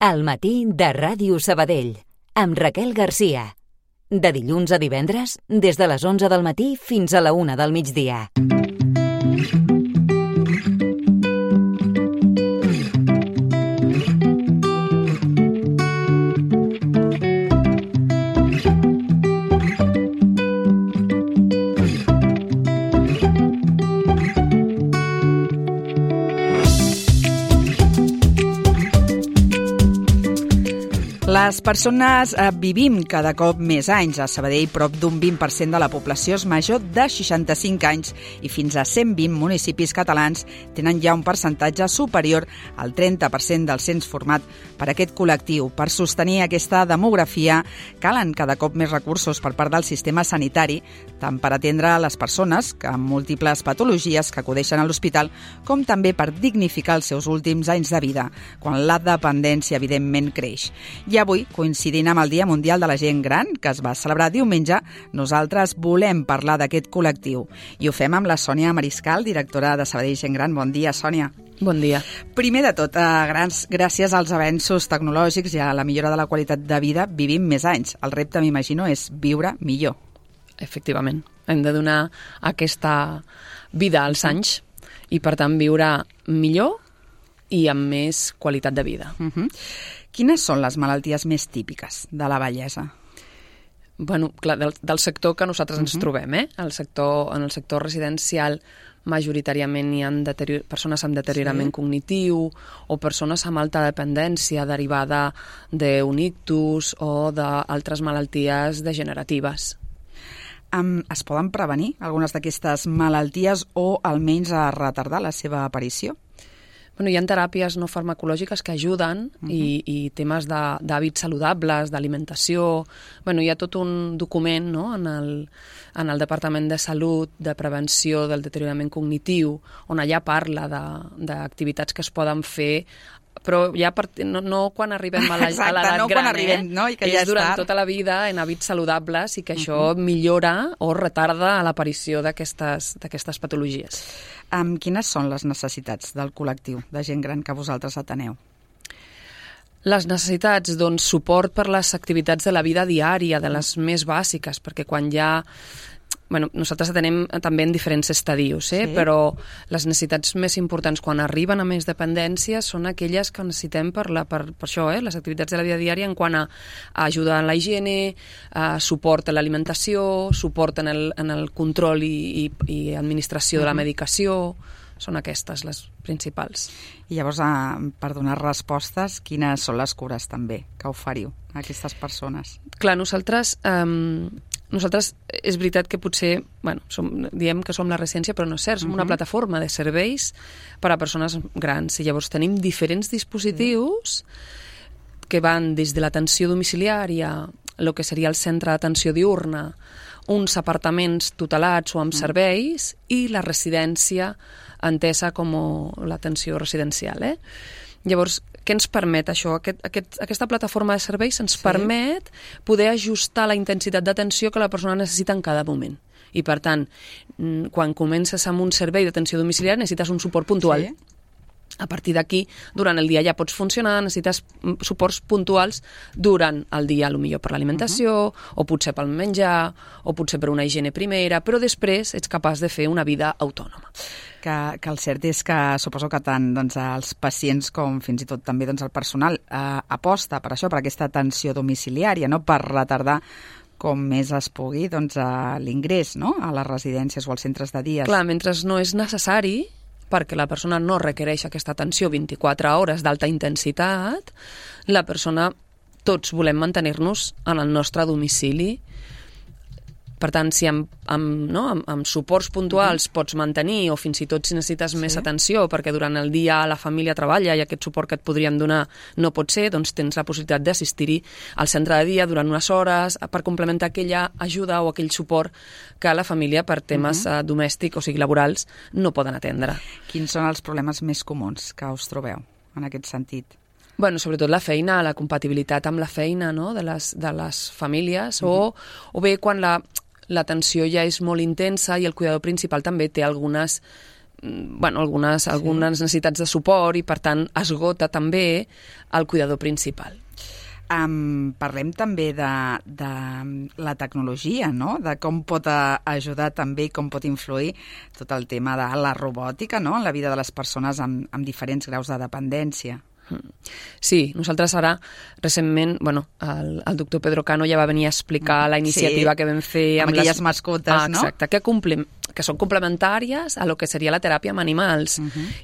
Al matí de Ràdio Sabadell, amb Raquel Garcia. De dilluns a divendres, des de les 11 del matí fins a la 1 del migdia. Les persones vivim cada cop més anys. A Sabadell, prop d'un 20% de la població és major de 65 anys i fins a 120 municipis catalans tenen ja un percentatge superior al 30% del cens format per aquest col·lectiu. Per sostenir aquesta demografia calen cada cop més recursos per part del sistema sanitari, tant per atendre les persones amb múltiples patologies que acudeixen a l'hospital, com també per dignificar els seus últims anys de vida, quan la dependència evidentment creix. I avui, coincidint amb el Dia Mundial de la Gent Gran, que es va celebrar diumenge, nosaltres volem parlar d'aquest col·lectiu. I ho fem amb la Sònia Mariscal, directora de Sabadell Gent Gran. Bon dia, Sònia. Bon dia. Primer de tot, gràcies als avenços tecnològics i a la millora de la qualitat de vida, vivim més anys. El repte, m'imagino, és viure millor. Efectivament. Hem de donar aquesta vida als anys i, per tant, viure millor i amb més qualitat de vida. Quines són les malalties més típiques de la vellesa? Bueno, clar, del sector que nosaltres ens trobem, en el sector residencial majoritàriament hi ha persones amb deteriorament cognitiu o persones amb alta dependència derivada d'un ictus o d'altres malalties degeneratives. Es poden prevenir algunes d'aquestes malalties o almenys a retardar la seva aparició? Bueno, hi ha teràpies no farmacològiques que ajuden i temes d'hàbits saludables, d'alimentació. Bueno, hi ha tot un document, no?, en el Departament de Salut de Prevenció del Deteriorament Cognitiu, on allà parla d'activitats que es poden fer, però ja no quan arribem a l'edat gran, i que ja és durant tota la vida en hàbits saludables i que això millora o retarda l'aparició d'aquestes patologies. Quines són les necessitats del col·lectiu de gent gran que vosaltres ateneu? Les necessitats, doncs, suport per les activitats de la vida diària, de les més bàsiques, perquè quan ja... Bueno, nosaltres atenem també en diferents estadius, però les necessitats més importants quan arriben a més dependència són aquelles que necessitem per això, les activitats de la vida diària en quant a ajuda en la higiene, suport a l'alimentació, suport en el control i administració de la medicació. Són aquestes les principals. I llavors, per donar respostes, quines són les cures també que oferiu a aquestes persones? Clar, nosaltres és veritat que potser, diem que som la residència, però no és cert, som una plataforma de serveis per a persones grans i llavors tenim diferents dispositius que van des de l'atenció domiciliària, el que seria el centre d'atenció diurna, uns apartaments tutelats o amb serveis i la residència entesa com l'atenció residencial. Llavors, què ens permet això? Aquesta plataforma de serveis ens permet poder ajustar la intensitat d'atenció que la persona necessita en cada moment. I, per tant, quan comences amb un servei d'atenció domiciliària necessites un suport puntual. A partir d'aquí, durant el dia ja pots funcionar, necessites suports puntuals durant el dia, potser per l'alimentació, o potser pel menjar, o potser per una higiene primera, però després ets capaç de fer una vida autònoma. Que el cert és que suposo que tant els pacients com fins i tot també el personal aposta per això, per aquesta atenció domiciliària, no? Per retardar com més es pugui l'ingrés, no?, a les residències o als centres de dia. Clar, mentre no és necessari, perquè la persona no requereix aquesta atenció 24 hores d'alta intensitat, la persona, tots volem mantenir-nos en el nostre domicili. Per tant, si amb suports puntuals pots mantenir, o fins i tot si necessites més atenció, perquè durant el dia la família treballa i aquest suport que et podríem donar no pot ser, doncs tens la possibilitat d'assistir-hi al centre de dia durant unes hores per complementar aquella ajuda o aquell suport que la família per temes domèstics, o sigui, laborals, no poden atendre. Quins són els problemes més comuns que us trobeu en aquest sentit? Bueno, sobretot la feina, la compatibilitat amb la feina, no?, de les famílies, o bé quan l'atenció ja és molt intensa i el cuidador principal també té algunes algunes necessitats de suport i, per tant, esgota també el cuidador principal. Parlem també de la tecnologia, no? De com pot ajudar també i com pot influir tot el tema de la robòtica, no? En la vida de les persones amb diferents graus de dependència. Sí, nosaltres ara, recentment, el doctor Pedro Cano ja va venir a explicar la iniciativa que vam fer amb aquelles mascotes, no? Exacte, que són complementàries a lo que seria la teràpia amb animals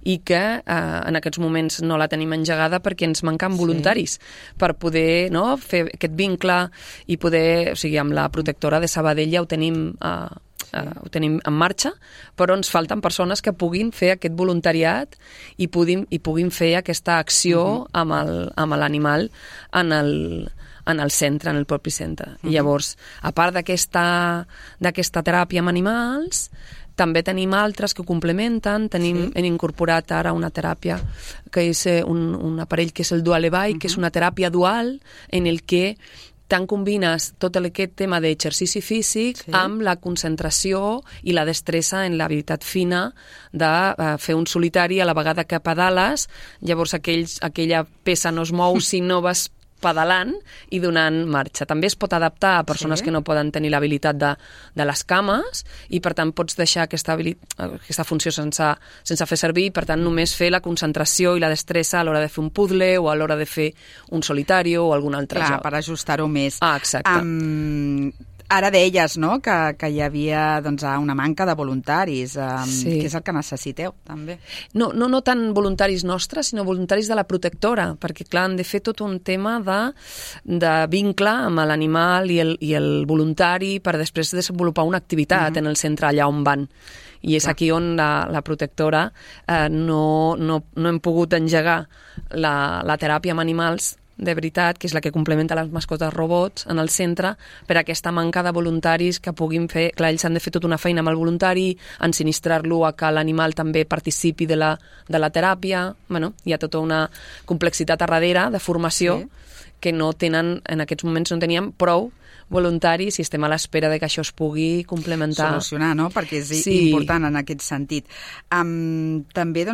i que en aquests moments no la tenim engegada perquè ens manquen voluntaris per poder fer aquest vincle i poder, o sigui, amb la protectora de Sabadell ja ho tenim en marxa, però ens falten persones que puguin fer aquest voluntariat i puguin fer aquesta acció amb l'animal en el centre, en el propi centre. I llavors, a part d'aquesta teràpia amb animals, també tenim altres que ho complementen. Hem incorporat ara una teràpia que és un aparell que és el Dualevai, que és una teràpia dual en el que tant combines tot aquest tema d'exercici físic amb la concentració i la destressa en l'habilitat fina de fer un solitari a la vegada que pedales, llavors aquella peça no es mou si no vas pedalant i donant marxa. També es pot adaptar a persones que no poden tenir l'habilitat de les cames i, per tant, pots deixar aquesta funció sense fer servir i, per tant, només fer la concentració i la destressa a l'hora de fer un puzzle o a l'hora de fer un solitari o algun altre joc. Per ajustar-ho més. Exacte. Ara deies, no?, que hi havia una manca de voluntaris. Què és el que necessiteu, també? No tant voluntaris nostres, sinó voluntaris de la protectora, perquè, clar, han de fer tot un tema de vincle amb l'animal i el voluntari per després desenvolupar una activitat en el centre allà on van. I és aquí on la protectora no hem pogut engegar la teràpia amb animals de veritat, que és la que complementa les mascotes robots en el centre, per aquesta manca de voluntaris que puguin fer. Clar, ells han de fer tota una feina amb el voluntari, ensinistrar-lo a que l'animal també participi de la teràpia. Hi ha tota una complexitat a darrere de formació que no tenen, en aquests moments no teníem prou voluntaris i estem a l'espera de que això es pugui complementar. Solucionar, no? Perquè és important en aquest sentit. També,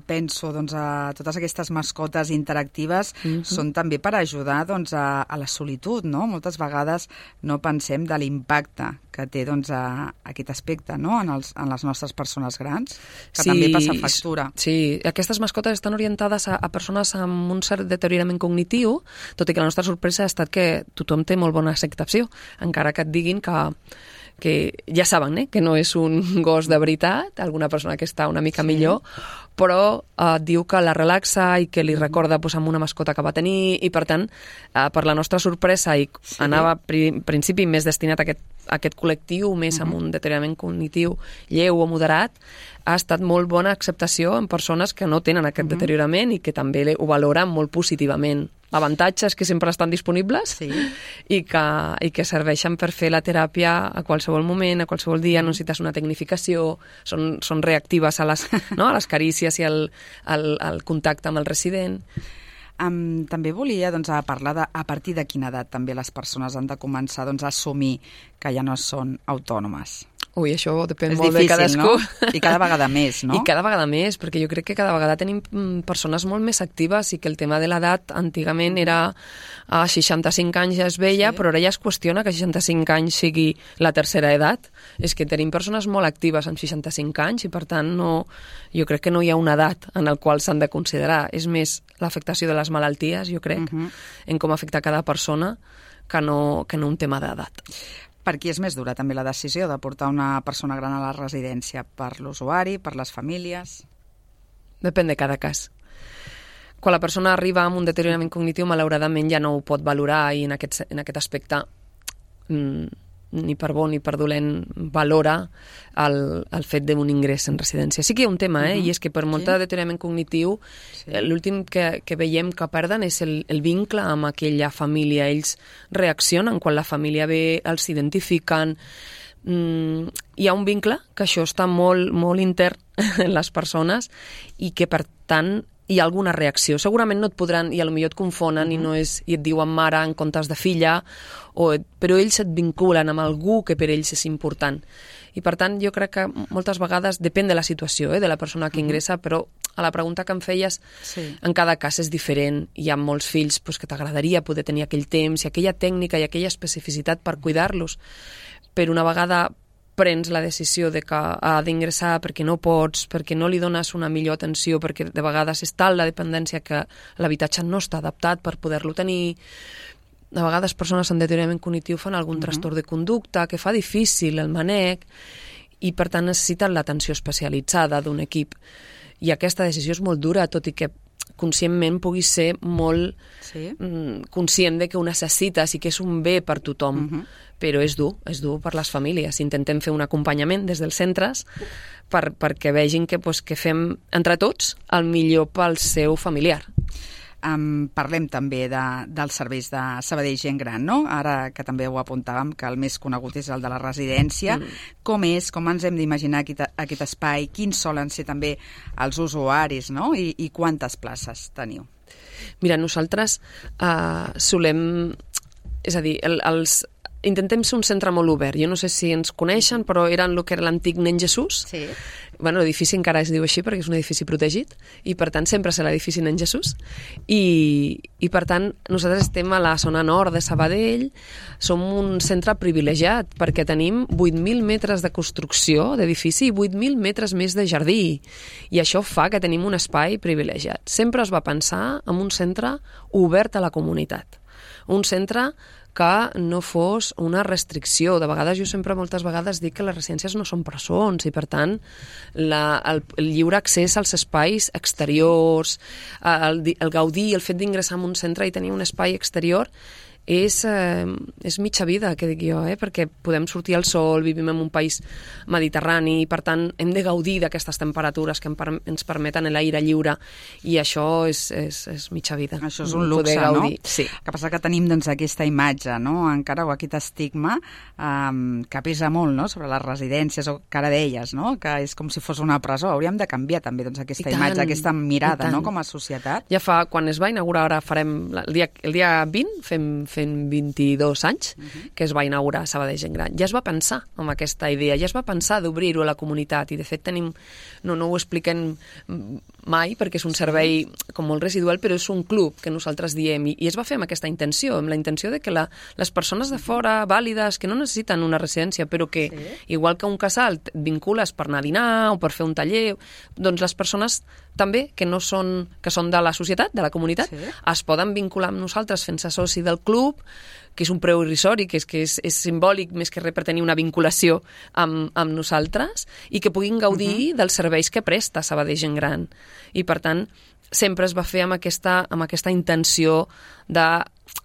penso, totes aquestes mascotes interactives són també per ajudar a la solitud, no? Moltes vegades no pensem de l'impacte que té aquest aspecte, no?, en les nostres persones grans, que també passa factura. Sí, aquestes mascotes estan orientades a persones amb un cert deteriorament cognitiu, tot i que la nostra sorpresa ha estat que tothom té molt bona acceptació, encara que et diguin que ja saben que no és un gos de veritat, alguna persona que està una mica millor, però diu que la relaxa i que li recorda amb una mascota que va tenir i, per tant, per la nostra sorpresa, i anava en principi més destinat a aquest col·lectiu, més amb un deteriorament cognitiu lleu o moderat, ha estat molt bona acceptació en persones que no tenen aquest deteriorament i que també ho valoren molt positivament. Avantatges que sempre estan disponibles i que serveixen per fer la teràpia a qualsevol moment, a qualsevol dia. No necessites una tecnificació, són reactives a les carícies i al contacte amb el resident. També volia parlar de a partir de quina edat també les persones han de començar a assumir que ja no són autònomes. Ui, això depèn molt de cadascú. No? I cada vegada més, no? I cada vegada més, perquè jo crec que cada vegada tenim persones molt més actives i que el tema de l'edat antigament era a 65 anys ja es veia, però ara ja es qüestiona que 65 anys sigui la tercera edat. És que tenim persones molt actives amb 65 anys i, per tant, jo crec que no hi ha una edat en la qual s'han de considerar. És més l'afectació de les malalties, jo crec, en com afecta cada persona, que no un tema d'edat. Per qui és més dura també la decisió de portar una persona gran a la residència? Per l'usuari, per les famílies? Depèn de cada cas. Quan la persona arriba amb un deteriorament cognitiu, malauradament ja no ho pot valorar i en aquest aspecte ni per bo ni per dolent valora el fet d'un ingrés en residència. Sí que hi ha un tema, i és que per molt de deteriorament cognitiu, l'últim que veiem que perden és el vincle amb aquella família. Ells reaccionen quan la família ve, els identifiquen. Hi ha un vincle, que això està molt, molt intern en les persones i que, per tant, hi ha alguna reacció. Segurament no et podran, i potser et confonen i et diuen mare en comptes de filla, però ells et vinculen amb algú que per ells és important. I per tant jo crec que moltes vegades depèn de la situació, de la persona que ingressa, però a la pregunta que em feies, en cada cas és diferent. Hi ha molts fills que t'agradaria poder tenir aquell temps i aquella tècnica i aquella especificitat per cuidar-los, però una vegada prens la decisió de que ha d'ingressar perquè no pots, perquè no li dones una millor atenció, perquè de vegades és tal la dependència que l'habitatge no està adaptat per poder-lo tenir. De vegades persones amb deteriorament cognitiu fan algun trastorn de conducta que fa difícil el manec i per tant necessiten l'atenció especialitzada d'un equip. I aquesta decisió és molt dura, tot i que conscientment puguis ser molt conscient de que ho necessites i que és un bé per tothom, però és dur per les famílies. Intentem fer un acompanyament des dels centres perquè vegin que fem entre tots el millor pel seu familiar. Parlem també dels serveis de Sabadell Gent Gran, no? Ara que també ho apuntàvem, que el més conegut és el de la residència. Com ens hem d'imaginar aquest espai? Quins solen ser també els usuaris, no? I quantes places teniu? Mira, nosaltres solem... És a dir, intentem ser un centre molt obert. Jo no sé si ens coneixen, però era el que era l'antic Nen Jesús. Sí. Bueno, l'edifici encara es diu així perquè és un edifici protegit i per tant sempre serà l'edifici Nen Jesús i per tant nosaltres estem a la zona nord de Sabadell, som un centre privilegiat perquè tenim 8.000 metres de construcció d'edifici i 8.000 metres més de jardí i això fa que tenim un espai privilegiat. Sempre es va pensar en un centre obert a la comunitat, un centre que no fos una restricció. De vegades, moltes vegades dic que les residències no són presons i, per tant, el lliure accés als espais exteriors, el gaudir, el fet d'ingressar en un centre i tenir un espai exterior és mitja vida, que dic jo, perquè podem sortir al sol, vivim en un país mediterrani i per tant hem de gaudir d'aquestes temperatures que ens permeten l'aire lliure i això és mitja vida. Això és un luxe, no? Sí. El que passa que tenim aquesta imatge, no? Encara, o aquest estigma que pesa molt, no? Sobre les residències, o que ara deies, no? Que és com si fos una presó. Hauríem de canviar també aquesta imatge, aquesta mirada, no? Com a societat. Ja fa, quan es va inaugurar, ara farem el dia 20, fem 22 anys que es va inaugurar Sabadell Gent Gran. Ja es va pensar en aquesta idea, ja es va pensar d'obrir-ho a la comunitat i de fet tenim, no ho expliquem mai perquè és un servei com molt residual, però és un club que nosaltres diem i es va fer amb aquesta intenció, amb la intenció de que les persones de fora, vàlides, que no necessiten una residència, però que igual que un casal et vincules per anar a dinar o per fer un taller, doncs les persones també que són de la societat, de la comunitat, es poden vincular amb nosaltres fent-se soci del club, que és un preu irrisori, que és simbòlic més que res per tenir una vinculació amb nosaltres i que puguin gaudir dels serveis que presta Sabadell Gent Gran. I per tant, sempre es va fer amb aquesta intenció de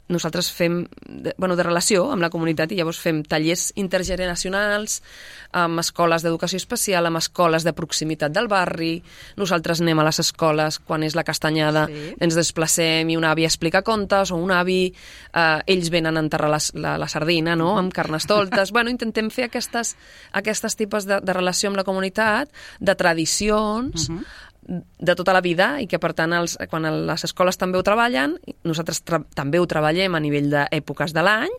nosaltres fem de relació amb la comunitat i llavors fem tallers intergeneracionals amb escoles d'educació especial, amb escoles de proximitat del barri. Nosaltres anem a les escoles quan és la castanyada, ens desplacem i un avi explica contes o un avi, ells venen a enterrar la sardina, no? Amb carnestoltes. Intentem fer aquestes tipus de relació amb la comunitat, de tradicions, de tota la vida i que per tant quan les escoles també ho treballen, nosaltres també ho treballem a nivell d'èpoques de l'any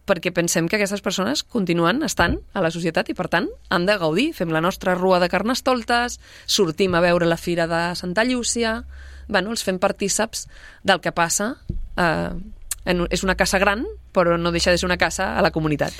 perquè pensem que aquestes persones continuen estant a la societat i per tant han de gaudir, fem la nostra rua de carnestoltes, sortim a veure la fira de Santa Llúcia, els fem partíceps del que passa, és una casa gran però no deixa de ser una casa a la comunitat.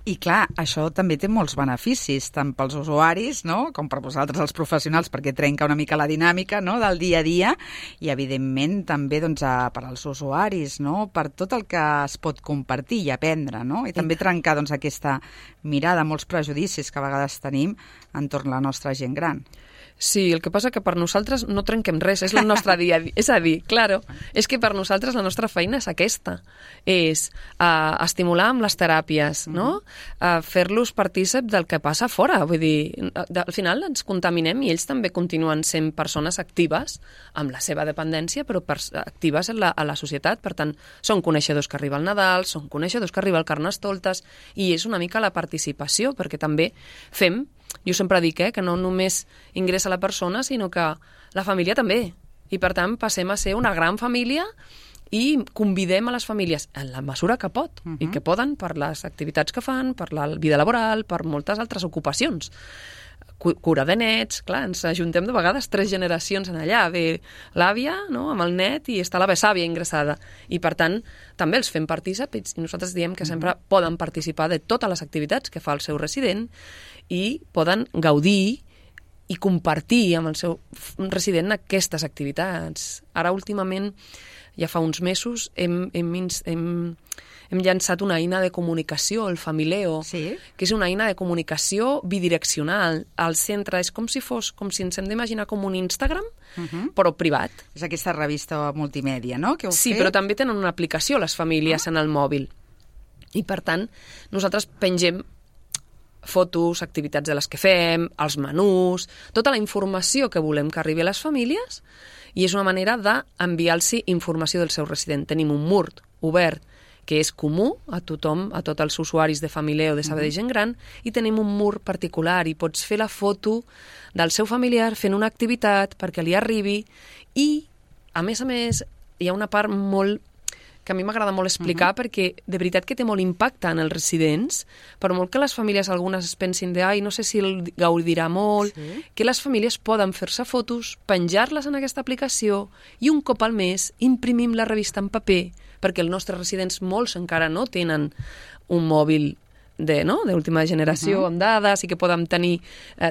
I clar, això també té molts beneficis, tant pels usuaris, no?, com per vosaltres els professionals, perquè trenca una mica la dinàmica, no?, del dia a dia, i evidentment també per als usuaris, no?, per tot el que es pot compartir i aprendre, no?, i també trencar aquesta mirada, molts prejudicis que a vegades tenim entorn la nostra gent gran. Sí, el que passa que per nosaltres no trenquem res, és el nostre dia a dia. És a dir, claro, és que per nosaltres la nostra feina és aquesta, és estimular amb les teràpies, no? Fer-los partícip del que passa fora, vull dir, al final ens contaminem i ells també continuen sent persones actives amb la seva dependència, però actives a la societat, per tant, són coneixedors que arriba el Nadal, són coneixedors que arriba el Carnestoltes, i és una mica la participació, perquè també fem, jo sempre dic que no només ingressa la persona, sinó que la família també. I, per tant, passem a ser una gran família i convidem a les famílies, en la mesura que pot, i que poden, per les activitats que fan, per la vida laboral, per moltes altres ocupacions. Cura de nets, clar, ens ajuntem de vegades 3 generacions en allà, ve l'àvia, no?, amb el net, i està la besàvia ingressada, i per tant també els fem partícips, i nosaltres diem que sempre poden participar de totes les activitats que fa el seu resident i poden gaudir i compartir amb el seu resident aquestes activitats. Ara, últimament, ja fa uns mesos, hem llançat una eina de comunicació, el Famileo, que és una eina de comunicació bidireccional. Al centre és com si ens hem d'imaginar com un Instagram, però privat. És aquesta revista multimèdia, no?, que heu fet? Sí, però també tenen una aplicació les famílies en el mòbil. I, per tant, nosaltres pengem fotos, activitats de les que fem, els menús, tota la informació que volem que arribi a les famílies, i és una manera d'enviar-los informació del seu resident. Tenim un mur obert que és comú a tothom, a tots els usuaris de Famileo de Sabadell Gent Gran, i tenim un mur particular i pots fer la foto del seu familiar fent una activitat perquè li arribi, i, a més, hi ha una part molt que a mi m'agrada molt explicar, perquè de veritat que té molt impacte en els residents, per molt que les famílies algunes es pensin no sé si el gaudirà molt, que les famílies poden fer-se fotos, penjar-les en aquesta aplicació, i un cop al mes imprimim la revista en paper, perquè els nostres residents, molts encara no tenen un mòbil d'última generació amb dades i que podem tenir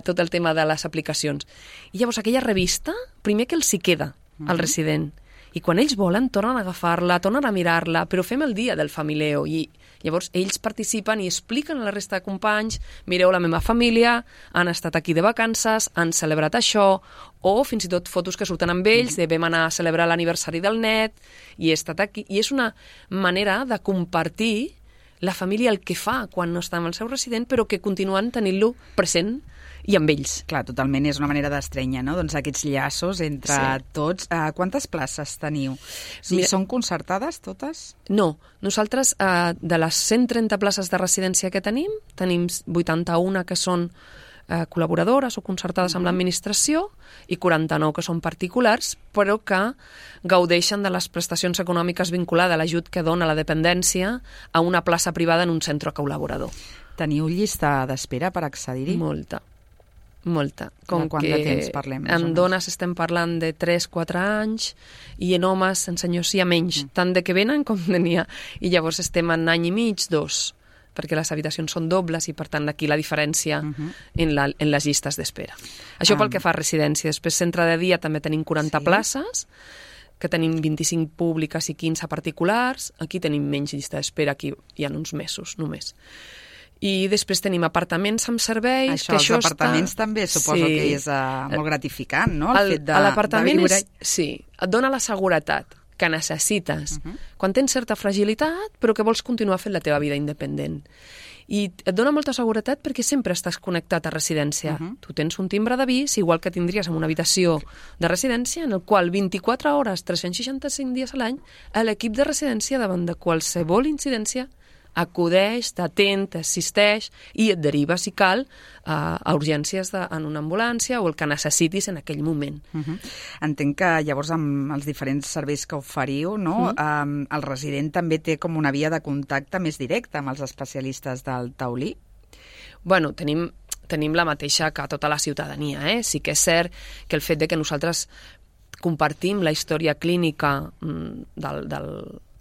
tot el tema de les aplicacions. I llavors aquella revista, primer que els hi queda al resident, i quan ells volen tornen a agafar-la, tornen a mirar-la, però fem el dia del Famileo, i llavors ells participen i expliquen a la resta de companys: mireu, la meva família, han estat aquí de vacances, han celebrat això, o fins i tot fotos que surten amb ells, de vam anar a celebrar l'aniversari del net, i he estat aquí. I és una manera de compartir la família el que fa quan no està amb el seu resident, però que continuen tenint-lo present i amb ells. Clar, totalment, és una manera d'estrènyer, no?, doncs aquests llaços entre tots. Quantes places teniu? Són concertades totes? No, nosaltres de les 130 places de residència que tenim 81 que són col·laboradores o concertades amb l'administració i 49 que són particulars, però que gaudeixen de les prestacions econòmiques vinculades a l'ajut que dona la dependència a una plaça privada en un centre col·laborador. Teniu llista d'espera per accedir-hi? Molta. De quant de temps parlem? En dones estem parlant de 3-4 anys i en homes, en senyors, hi ha menys, tant de que venen com de n'hi ha. I llavors estem en any i mig, 2, perquè les habitacions són dobles i, per tant, aquí la diferència en les llistes d'espera. Això pel que fa a residència. Després, centre de dia, també tenim 40 places, que tenim 25 públiques i 15 particulars. Aquí tenim menys llista d'espera, aquí hi ha uns mesos només. I després tenim apartaments amb serveis. Els apartaments també suposo que és molt gratificant, no?, el fet de viure. Sí, et dona la seguretat que necessites quan tens certa fragilitat però que vols continuar fent la teva vida independent. I et dona molta seguretat perquè sempre estàs connectat a residència. Tu tens un timbre d'avís, igual que tindries en una habitació de residència, en el qual 24 hores, 365 dies a l'any, l'equip de residència, davant de qualsevol incidència, acudeix, t'atén, t'assisteix i et deriva, si cal, a urgències en una ambulància o el que necessitis en aquell moment. Entenc que llavors amb els diferents serveis que oferiu, no? El resident també té com una via de contacte més directa amb els especialistes del taulí? Bueno, tenim la mateixa que tota la ciutadania. Sí que és cert que el fet de que nosaltres compartim la història clínica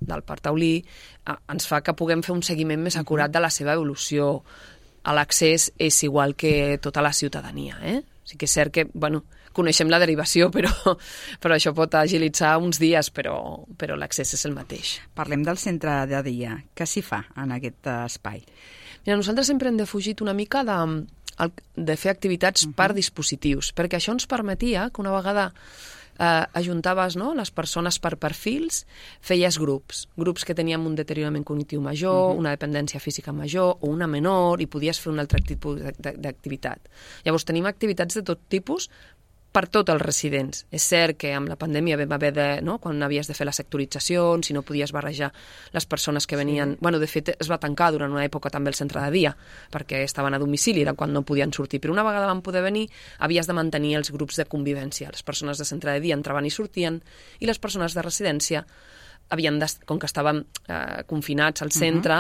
del part taulí ens fa que puguem fer un seguiment més acurat de la seva evolució. L'accés és igual que tota la ciutadania. Sí que és cert que, coneixem la derivació, però això pot agilitzar uns dies, però l'accés és el mateix. Parlem del centre de dia. Què s'hi fa en aquest espai? Mira, nosaltres sempre hem defugit una mica de fer activitats per dispositius, perquè això ens permetia que una vegada ajuntaves les persones per perfils, feies grups que teníem un deteriorament cognitiu major, una dependència física major o una menor, i podies fer un altre tipus d'activitat. Llavors tenim activitats de tot tipus per tots els residents. És cert que amb la pandèmia vam haver de, no? Quan havies de fer la sectorització, si no podies barrejar les persones que venien... Bueno, de fet, es va tancar durant una època també el centre de dia, perquè estaven a domicili, era quan no podien sortir. Però una vegada van poder venir, havies de mantenir els grups de convivència. Les persones de centre de dia entraven i sortien, i les persones de residència com que estàvem confinats al centre,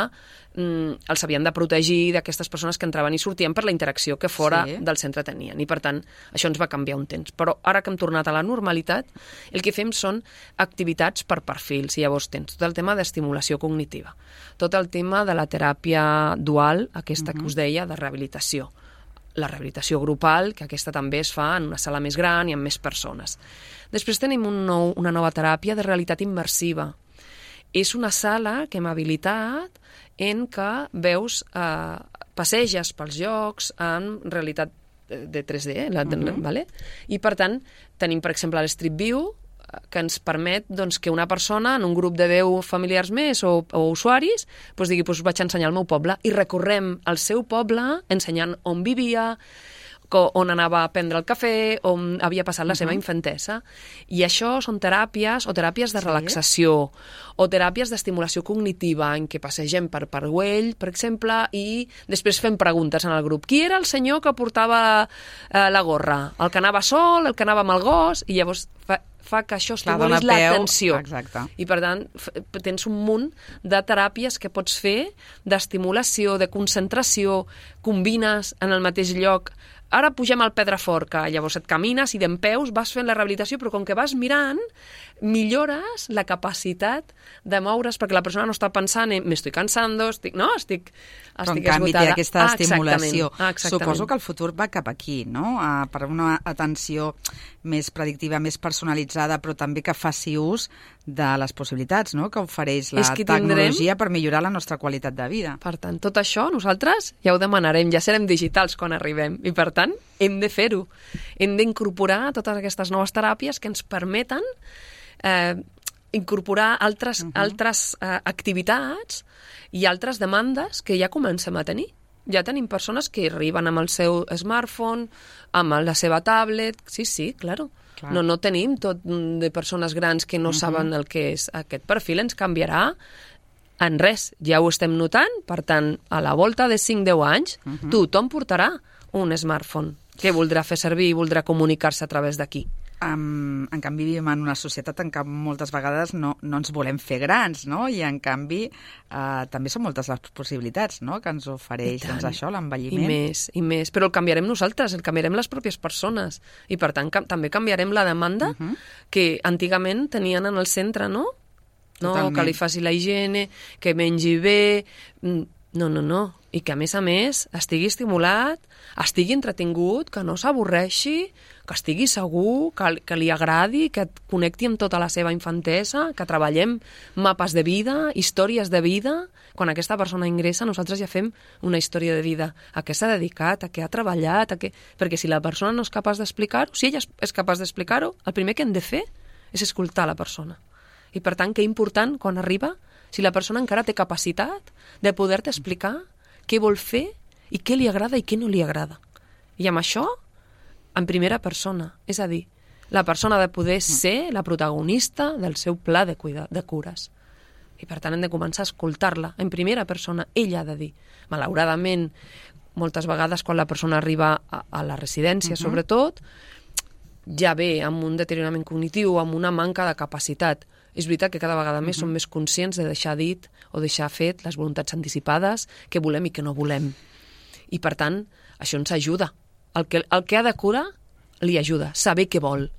els havien de protegir d'aquestes persones que entraven i sortien per la interacció que fora del centre tenien. I, per tant, això ens va canviar un temps. Però ara que hem tornat a la normalitat, el que fem són activitats per perfils. I llavors tens tot el tema d'estimulació cognitiva, tot el tema de la teràpia dual, aquesta que us deia, de rehabilitació. La rehabilitació grupal, que aquesta també es fa en una sala més gran i amb més persones. Després tenim una nova teràpia de realitat immersiva. És una sala que hem habilitat en què veus, passeges pels llocs en realitat de 3D, vale? I per tant tenim, per exemple, l'Street View, que ens permet doncs, que una persona en un grup de 10 familiars més o usuaris doncs, digui, doncs, vaig ensenyar el meu poble i recorrem el seu poble ensenyant on vivia, on anava a prendre el cafè, on havia passat la seva infantesa. I això són teràpies, o teràpies de relaxació, o teràpies d'estimulació cognitiva, en què passegem per Güell, per exemple, i després fem preguntes en el grup. Qui era el senyor que portava la gorra? El que anava sol, el que anava amb el gos? I llavors fa que això estimulis l'atenció. I, per tant, tens un munt de teràpies que pots fer d'estimulació, de concentració, combines en el mateix lloc. Ara pugem al Pedrafort, que llavors et camines i dempeus vas fent la rehabilitació, però com que vas mirant, millores la capacitat de moure's, perquè la persona no està pensant en m'estic cansando, estic esgotada. En canvi té aquesta estimulació. Suposo que el futur va cap aquí, no? Per una atenció més predictiva, més personalitzada, però també que faci ús de les possibilitats, no?, que ofereix la tecnologia per millorar la nostra qualitat de vida. Per tant, tot això nosaltres ja ho demanarem, ja serem digitals quan arribem, i per tant hem de fer-ho. Hem d'incorporar totes aquestes noves teràpies que ens permeten incorporar altres activitats i altres demandes que ja comencem a tenir. Ja tenim persones que arriben amb el seu smartphone, amb la seva tablet... Sí, claro. No tenim tot de persones grans que no saben el que és. Aquest perfil ens canviarà en res. Ja ho estem notant. Per tant, a la volta de 5-10 anys, tothom portarà un smartphone que voldrà fer servir i voldrà comunicar-se a través d'aquí. En canvi, vivim en una societat en què moltes vegades no ens volem fer grans, no? I en canvi també són moltes les possibilitats, no?, que ens ofereix això, l'envelliment. I més. Però el canviarem nosaltres, el canviarem les pròpies persones. I per tant també canviarem la demanda que antigament tenien en el centre, no? No, que li faci la higiene, que mengi bé... No. I que, a més, estigui estimulat, estigui entretingut, que no s'avorreixi, que estigui segur, que li agradi, que et connecti amb tota la seva infantesa, que treballem mapes de vida, històries de vida. Quan aquesta persona ingressa, nosaltres ja fem una història de vida. A què s'ha dedicat, a què ha treballat, perquè si la persona no és capaç d'explicar-ho, si ella és capaç d'explicar-ho, el primer que hem de fer és escoltar la persona. I, per tant, que important, quan arriba, si la persona encara té capacitat de poder-te explicar què vol fer i què li agrada i què no li agrada. I amb això, en primera persona, és a dir, la persona ha de poder ser la protagonista del seu pla de cures. I per tant hem de començar a escoltar-la en primera persona. Ella ha de dir. Malauradament, moltes vegades quan la persona arriba a la residència, sobretot, ja ve amb un deteriorament cognitiu, amb una manca de capacitat. És veritat que cada vegada més som més conscients de deixar dit o deixar fet les voluntats anticipades, què volem i què no volem. I, per tant, això ens ajuda. El que ha de curar li ajuda, saber què vol.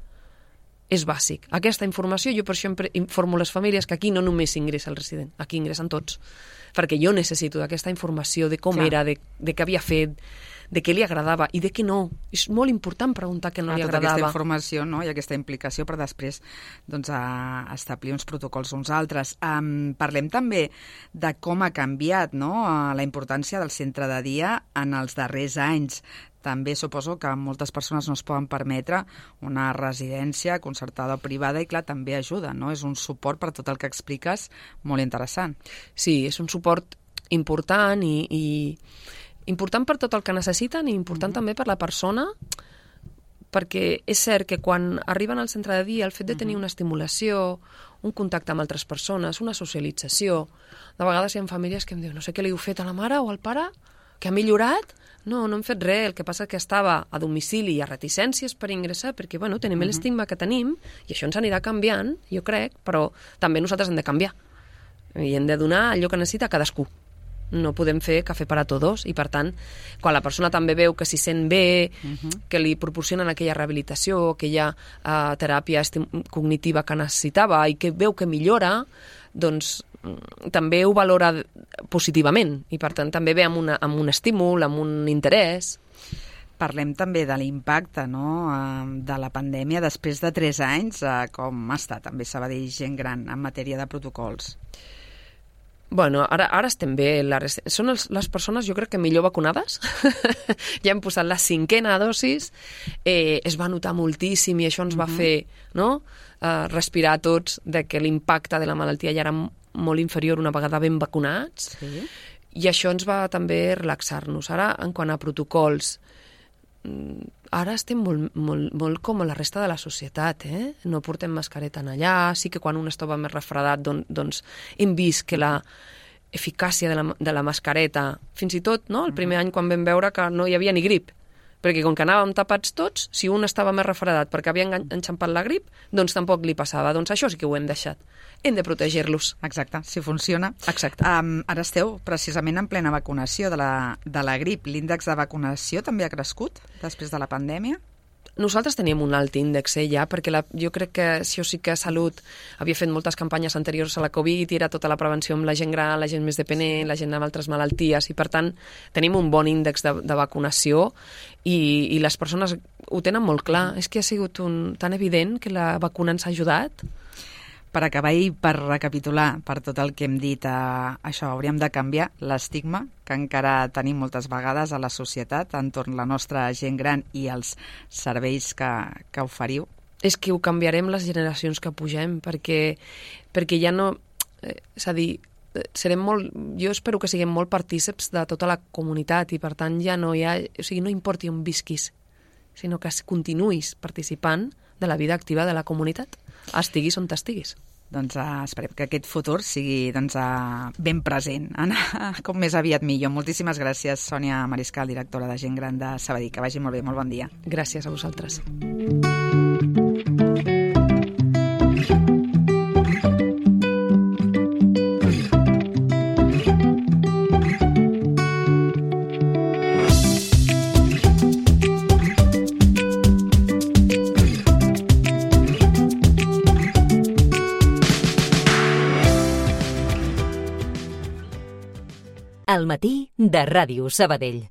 És bàsic. Aquesta informació, jo per això informo les famílies que aquí no només ingressa el resident, aquí ingressen tots. Perquè jo necessito d'aquesta informació de com era, de què havia fet, de què li agradava i de què no. És molt important preguntar què no li agradava. Tota aquesta informació, no?, i aquesta implicació per després establir uns protocols uns altres. Parlem també de com ha canviat, no?, la importància del centre de dia en els darrers anys. També suposo que moltes persones no es poden permetre una residència concertada o privada i, clar, també ajuda, no? És un suport per tot el que expliques molt interessant. Sí, és un suport important i important per tot el que necessiten i important també per la persona, perquè és cert que quan arriben al centre de dia el fet de tenir una estimulació, un contacte amb altres persones, una socialització, de vegades hi ha famílies que em diuen no sé què li heu fet a la mare o al pare, que ha millorat? No hem fet res, el que passa que estava a domicili i a reticències per ingressar, perquè tenim l'estigma que tenim, i això ens anirà canviant, jo crec, però també nosaltres hem de canviar. I hem de donar allò que necessita cadascú. No podem fer cafè per a tots, i per tant, quan la persona també veu que s'hi sent bé, que li proporcionen aquella rehabilitació, aquella teràpia cognitiva que necessitava i que veu que millora, doncs també ho valora positivament i per tant també ve amb un estímul, amb un interès. Parlem també de l'impacte de la pandèmia després de 3 anys. Com està també Sabadell Gent Gran en matèria de protocols? Ara estem bé. Són les persones, jo crec que millor vacunades. Ja hem posat la 5a dosis. Es va notar moltíssim i això ens va fer respirar tots de que l'impacte de la malaltia ja era molt inferior una vegada ben vacunats. Sí. I això ens va també relaxar-nos. Ara, en quant a protocols, ara estem molt com a la resta de la societat, No portem mascareta en allà, sí que quan un estava més refredat doncs hem vist que la eficàcia de la mascareta, fins i tot el primer any quan vam veure que no hi havia ni grip, perquè com que anàvem tapats tots, si un estava més refredat perquè havia enxampat la grip, doncs tampoc li passava. Doncs això sí que ho hem deixat. Hem de protegir-los. Exacte, si funciona. Exacte. Ara esteu precisament en plena vacunació de la grip. L'índex de vacunació també ha crescut després de la pandèmia? Nosaltres teníem un alt índex ja, perquè jo crec que això sí que Salut havia fet moltes campanyes anteriors a la Covid i era tota la prevenció amb la gent gran, la gent més dependent, la gent amb altres malalties, i per tant tenim un bon índex de vacunació i les persones ho tenen molt clar. És que ha sigut tan evident que la vacuna ens ha ajudat. Per acabar i per recapitular per tot el que hem dit, això, hauríem de canviar l'estigma que encara tenim moltes vegades a la societat entorn la nostra gent gran i els serveis que oferiu. És que ho canviarem les generacions que pugem, perquè ja no... És a dir, jo espero que siguem molt partíceps de tota la comunitat i per tant ja no hi ha... O sigui, no importi on visquis, sinó que continuïs participant de la vida activa de la comunitat, estiguis on t'estiguis. Doncs esperem que aquest futur sigui ben present, com més aviat millor. Moltíssimes gràcies, Sònia Mariscal, directora de Gent Gran de Sabadell. Que vagi molt bé, molt bon dia. Gràcies a vosaltres. Al matí de Ràdio Sabadell.